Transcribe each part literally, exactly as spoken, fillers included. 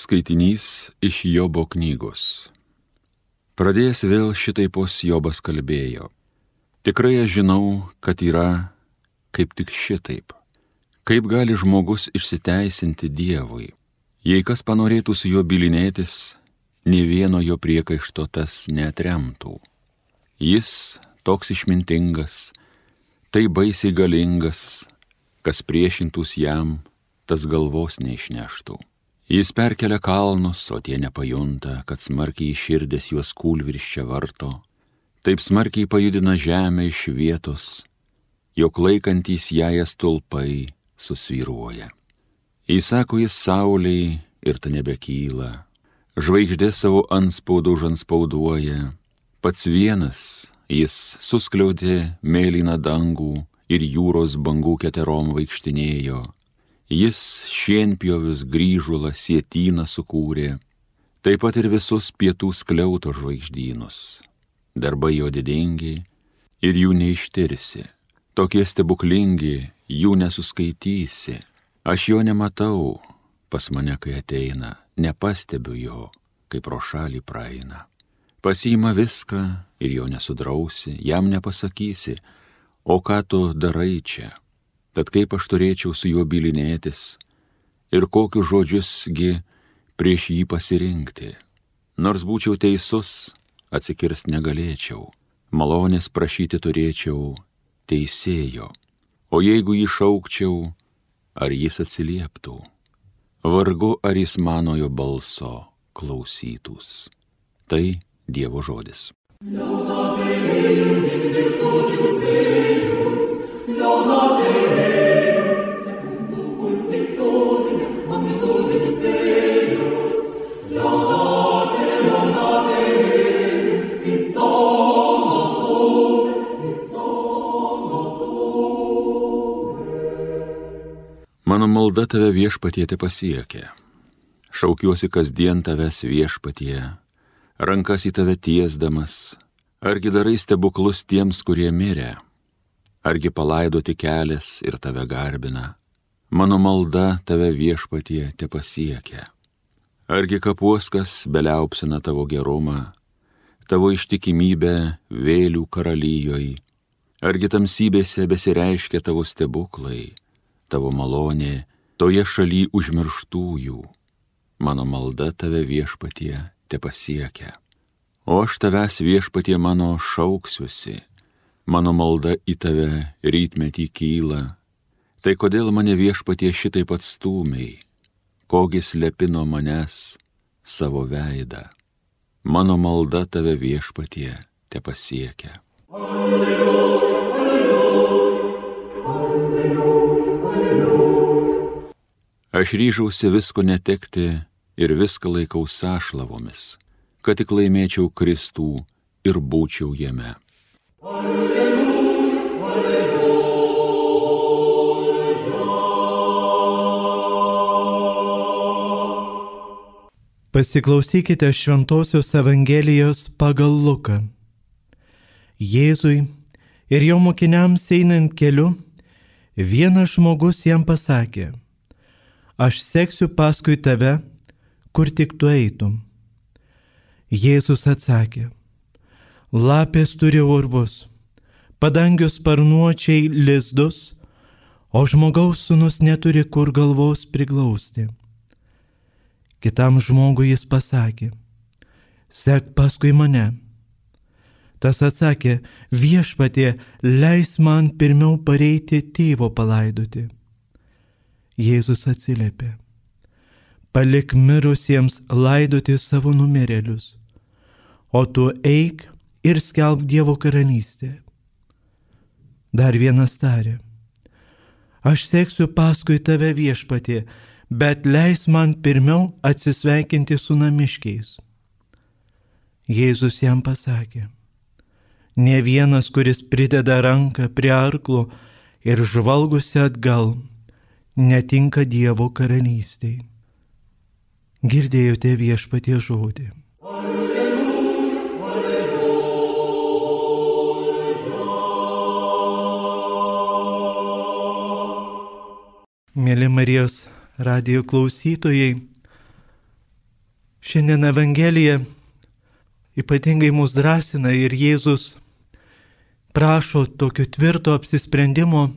Skaitinys iš Jobo knygos. Pradėjęs vėl šitaipos Jobas kalbėjo. Tikrai aš žinau, kad yra kaip tik šitaip. Kaip gali žmogus išsiteisinti Dievui? Jei kas panorėtų su juo bylinėtis, nė vieno jo priekaišto tas neatremtų. Jis toks išmintingas, tai baisiai galingas, kas priešintus jam, tas galvos neišneštų. Jis perkelia kalnus, o tie nepajunta, kad smarkiai iširdės juos kūlvirsčia varto, taip smarkiai pajudina žemę iš vietos, jog laikantys ją stulpai susvyruoja. Įsako jis saulei ir ta nebekyla, žvaigždė savo antspaudą užantspauduoja, pats vienas jis suskliaudė mėlyną dangų ir jūros bangų keterom vaikštinėjo. Jis šienpjovius grįžulą sietyną sukūrė, taip pat ir visus pietų skliauto žvaigždynus. Darbai jo didingi ir jų neištirsi, tokie stebuklingi, jų nesuskaitysi. Aš jo nematau, pas mane kai ateina, nepastebiu jo, kai pro šalį praeina. Pasiima viską ir jo nesudrausi, jam nepasakysi, o ką tu darai čia? Tad kaip aš turėčiau su juo bylinėtis ir kokius žodžiusgi prieš jį pasirinkti. Nors būčiau teisus, atsikirst negalėčiau, malonės prašyti turėčiau teisėjo. O jeigu jį šaukčiau, ar jis atsilieptų? Vargu ar jis manojo balso klausytųs. Tai Dievo žodis. Mano malda tave viešpatie te pasiekia. Šaukiuosi kasdien tavęs viešpatie, rankas į tave tiesdamas. Argi darai stebuklus tiems, kurie mirė? Argi palaidoti kelias ir tave garbina? Mano malda tave viešpatie te pasiekia. Argi kapuoskas beliaupsina tavo gerumą, tavo ištikimybę vėlių karalyjoj? Argi tamsybėse besireiškia tavo stebuklai, tavo malonė toje šaly užmirštųjų? Mano malda tave viešpatie te pasiekia. O aš tavęs viešpatie mano šauksiuosi, mano malda į tave rytmetį kyla. Tai kodėl mane viešpatie šitaip atstūmei, kogi slepi nuo manęs savo veidą? Mano malda tave viešpatie te pasiekia. Alleluja, alleluja, alleluja, alleluja. Aš ryžausi visko netekti ir viską laikau sąšlavomis, kad tik laimėčiau Kristų ir būčiau jame. Alleluja, alleluja. Pasiklausykite Šventosios Evangelijos pagal Luką. Jėzui ir jo mokiniams einant keliu, vienas žmogus jam pasakė: aš seksiu paskui tave, kur tik tu eitum. Jėzus atsakė: lapės turi urvus, padangių sparnuočiai lizdus, o žmogaus sūnus neturi kur galvos priglausti. Kitam žmogui jis pasakė: sek paskui mane. Tas atsakė: viešpatie, leis man pirmiau pareiti tėvo palaidoti. Jėzus atsiliepė: palik mirusiems laidoti savo numirėlius, o tu eik ir skelbk Dievo karalystę. Dar vienas tarė: aš seksiu paskui tave viešpatie, bet leis man pirmiau atsisveikinti su namiškiais. Jėzus jam pasakė: ne vienas, kuris prideda ranką prie arklo ir žvalgusi atgal, netinka Dievo karalystei. Girdėjote viešpatie žodį. Alleluja, alleluja. Mėly Marijos radijo klausytojai, Šiandien Evangelija ypatingai mus drąsina ir Jėzus prašo tokio tvirto apsisprendimo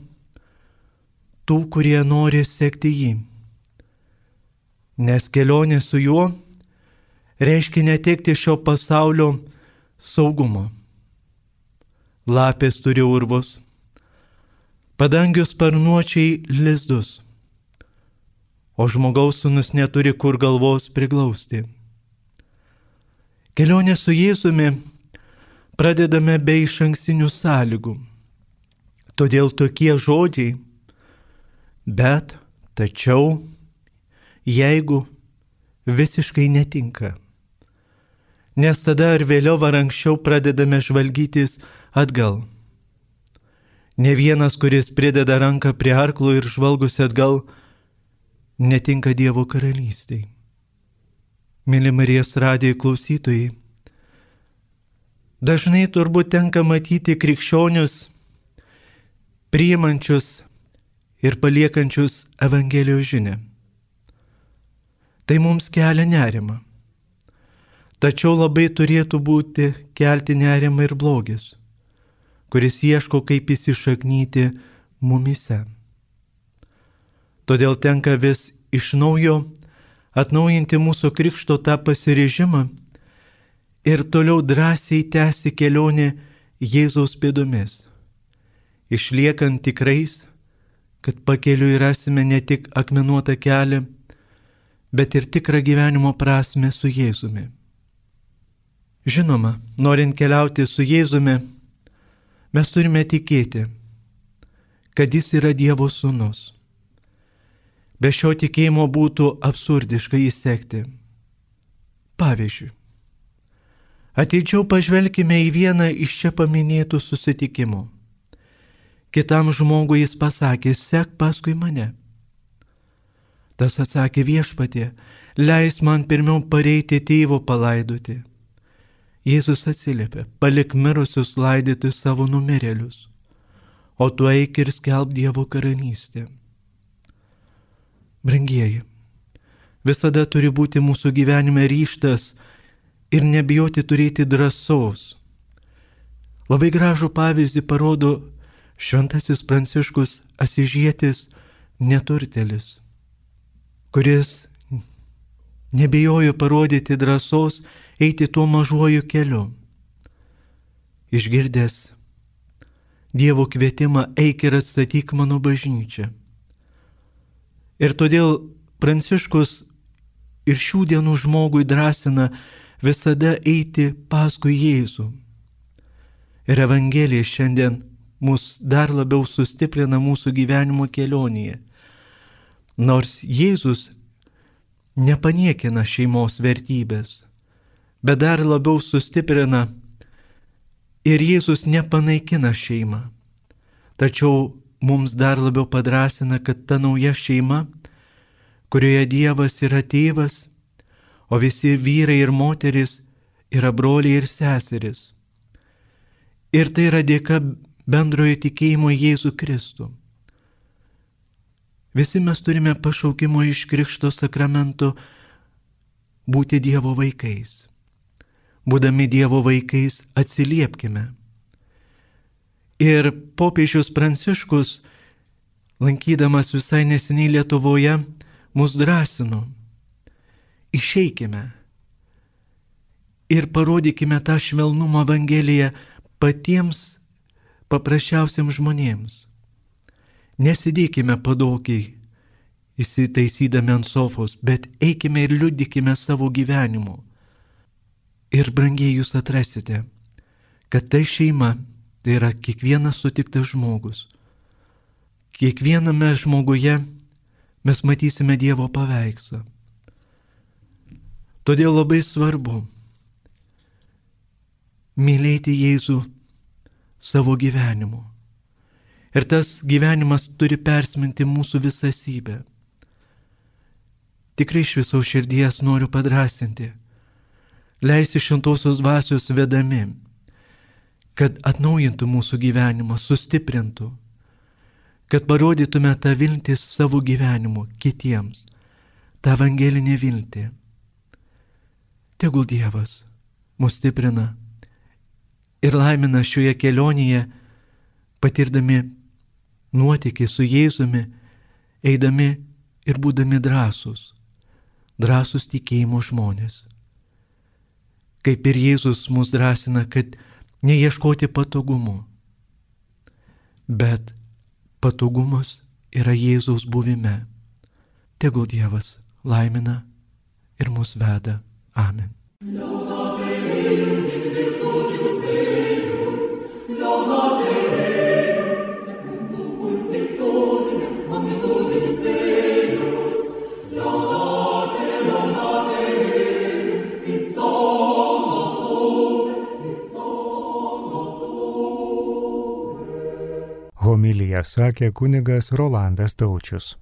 tų, kurie nori sekti jį. Nes kelionė su juo reiškia netekti šio pasaulio saugumo. Lapės turi urvus, padangių sparnuočiai lizdus, o žmogaus sūnus neturi kur galvos priglausti. Kelionė su Jėzumi pradedame be išankstinių sąlygų. Todėl tokie žodžiai, bet, tačiau, jeigu visiškai netinka. Nes tada ar vėliau ar anksčiau pradedame žvalgytis atgal. Ne vienas, kuris prideda ranką prie arklo ir žvalgosi atgal, netinka Dievo karalystei. Mėly Marijos radijo klausytojai, dažnai turbūt tenka matyti krikščionius, priimančius ir paliekančius Evangelijos žinią. Tai mums kelia nerimą. Tačiau labai turėtų būti kelti nerimą ir blogis, kuris ieško, kaip įsišaknyti mumyse. Todėl tenka vis iš naujo atnaujinti mūsų krikšto tą pasiryžimą ir toliau drąsiai tęsti kelionę Jėzaus pėdomis, išliekant tikrais, kad pakeliui rasime ne tik akmenuotą kelią, bet ir tikrą gyvenimo prasmę su Jėzumi. Žinoma, norint keliauti su Jėzumi, mes turime tikėti, kad jis yra Dievo sūnus. Be šio tikėjimo būtų absurdiška jį sekti. Pavyzdžiui, atidžiau pažvelkime į vieną iš čia paminėtų susitikimų. Kitam žmogui jis pasakė, sek paskui mane. Tas atsakė, viešpatie, leis man pirmiau pareiti tėvo palaidoti. Jėzus atsiliepė, palik mirusius laidyti savo numirėlius, o tu eik ir skelbk Dievo karalystę. Brangieji, visada turi būti mūsų gyvenime ryžtas ir nebijoti turėti drąsos. Labai gražų pavyzdį parodo šventasis Pranciškus Asižietis neturtelis, kuris nebijojo parodyti drąsos eiti tuo mažuoju keliu. Išgirdęs Dievo kvietimą, eik ir atstatyk mano bažnyčią. Ir todėl Pranciškus ir šių dienų žmogui drąsina visada eiti paskui Jėzų. Ir Evangelija šiandien mus dar labiau sustiprina mūsų gyvenimo kelionėje. Nors Jėzus nepaniekina šeimos vertybės, bet dar labiau sustiprina ir Jėzus nepanaikina šeimą. Tačiau mums dar labiau padrąsina, kad ta nauja šeima, kurioje Dievas yra tėvas, o visi vyrai ir moteris yra broliai ir seserys. Ir tai yra dėka bendrojo tikėjimo Jėzų Kristų. Visi mes turime pašaukimo iš Krikšto sakramento būti Dievo vaikais. Būdami Dievo vaikais atsiliepkime. Ir popiežius Pranciškus, lankydamas visai neseniai Lietuvoje, mus drąsino. Išeikime ir parodykime tą švelnumą Evangeliją patiems paprasčiausiams žmonėms. Nesidėkime padokiai, įsitaisydami ant sofos, bet eikime ir liudykime savo gyvenimu. Ir brangiai jūs atrasite, kad tai šeima, tai yra kiekvienas sutiktas žmogus. Kiekviename žmoguje mes matysime Dievo paveikslą. Todėl labai svarbu mylėti Jėzų savo gyvenimu. Ir tas gyvenimas turi persminti mūsų visą esybę. Tikrai iš viso širdies noriu padrasinti, leisti šventosios dvasios vedami, kad atnaujintų mūsų gyvenimą, sustiprintų, kad parodytume tą viltį savo gyvenimu kitiems, tą evangelinę viltį. Tegul Dievas mus stiprina ir laimina šioje kelionėje, patirdami nuotykį su Jėzumi, eidami ir būdami drąsūs, drąsūs tikėjimo žmonės. Kaip ir Jėzus mus drąsina, kad neieškoti patogumų, bet patogumas yra Jėzaus buvime. Tegul Dievas laimina ir mus veda. Amen. Homiliją sakė kunigas Rolandas Taučius.